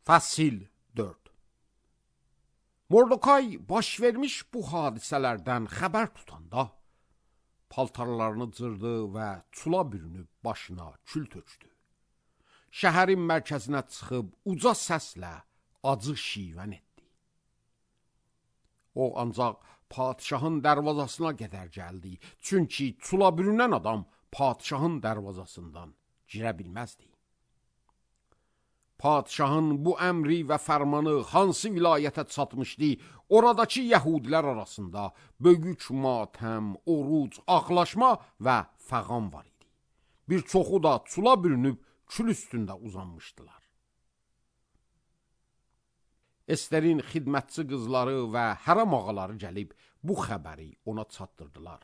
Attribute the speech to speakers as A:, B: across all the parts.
A: Fəsil 4. Mordokay baş vermiş bu hadisələrdən xəbər tutanda paltarlarını cırdı və çula bürünüb başına kül tökdü. Şəhərin mərkəzinə çıxıb uca səslə acı şivən etdi. O ancaq padişahın dərvazasına qədər gəldi, çünki çula bürünən adam padişahın dərvazasından girə bilməzdi. Padişahın bu əmri və fərmanı hansı vilayətə çatmışdı, oradakı yəhudilər arasında böyük matəm, oruc, ağlaşma və fəğan var idi. Bir çoxu da çula bürünüb kül üstündə uzanmışdılar. Esterin xidmətçi qızları və hərəm ağaları gəlib bu xəbəri ona çatdırdılar.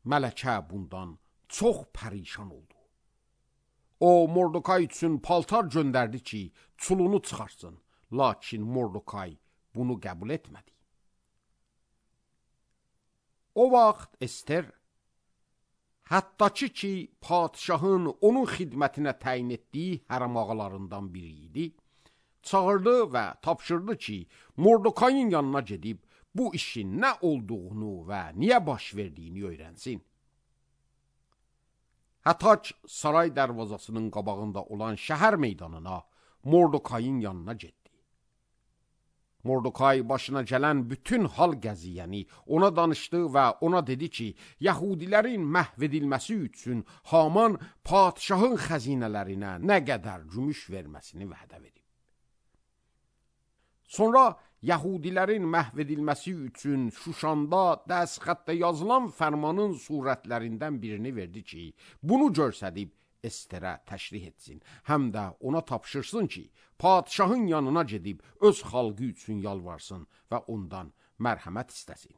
A: Mələkə bundan çox pərişan oldu. O, Mordokay üçün paltar göndərdi ki, çulunu çıxarsın. Lakin Mordokay bunu qəbul etmədi. O vaxt Ester, hətta ki, padişahın onun xidmətinə təyin etdiyi hərəm ağalarından biri idi, çağırdı və tapşırdı ki, Mordokayın yanına gedib bu işin nə olduğunu və niyə baş verdiyini öyrənsin. Hətaç saray dərvazasının qabağında olan şəhər meydanına Mordokayın yanına getdi. Mordokay başına gələn bütün hal qəziyyəni ona danışdı və ona dedi ki, Yəhudilərin məhv edilməsi üçün Haman padişahın xəzinələrinə nə qədər gümüş verməsini vədə verib. Sonra Yəhudilərin məhv edilməsi üçün Şuşanda dəstxətdə yazılan fərmanın surətlərindən birini verdi ki, bunu görsədib Esterə təşrih etsin, həm də ona tapşırsın ki, padişahın yanına gedib öz xalqı üçün yalvarsın və ondan mərhəmət istəsin.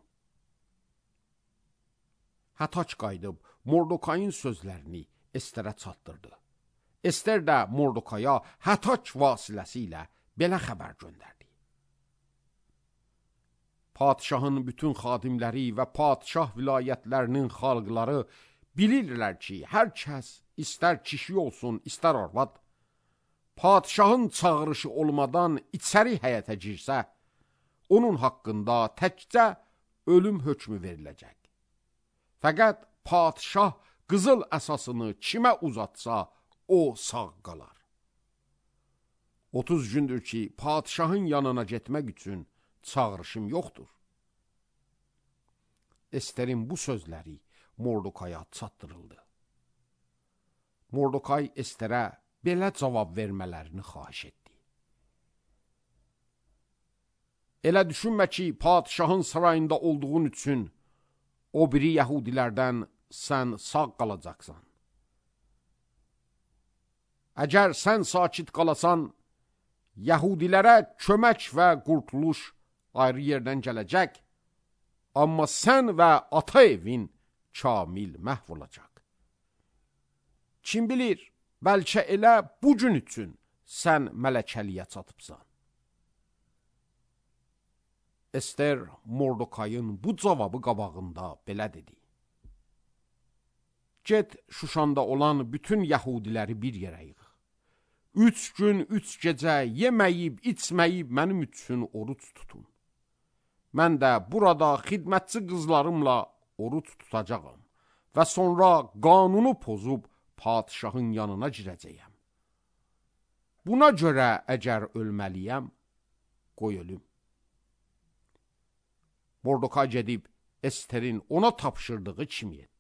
A: Hətaç qayıdıb Mordokayın sözlərini Esterə çatdırdı. Ester də Mordokaya Hətaç vasitəsilə belə xəbər göndərdi. Padişahın bütün xadimləri və padişah vilayətlərinin xalqları bilirlər ki, hər kəs, istər kişi olsun, istər arvad, padişahın çağırışı olmadan içəri həyətə girsə, onun haqqında təkcə ölüm hökmü veriləcək. Fəqət padişah qızıl əsasını kimə uzatsa, o sağ qalar. 30 gündür ki, padişahın yanına getmək üçün çağırışım yoxdur. Esterin bu sözləri Mordokaya çatdırıldı. Mordokay Esterə belə cavab vermələrini xahiş etdi. Elə düşünmə ki, padişahın sarayında olduğun üçün o biri yəhudilərdən sən sağ qalacaqsan. Əgər sən sakit qalasan, yəhudilərə kömək və qurtuluş ayrı yerdən gələcək, amma sən və ata evin kamil məhv olacaq. Kim bilir, bəlkə elə bugün üçün sən mələkəliyə çatıbsan. Ester Mordokayın bu cavabı qabağında belə dedi. Get Şuşanda olan bütün yəhudiləri bir yerə yığ. 3 gün, 3 gecə yeməyib, içməyib mənim üçün oruç tutun. Mən də burada xidmətçi qızlarımla oruç tutacağam və sonra qanunu pozub padişahın yanına girəcəyəm. Buna görə əgər ölməliyəm, qoy ölüm. Mordokay gedib Esterin ona tapşırdığı kimi etdi.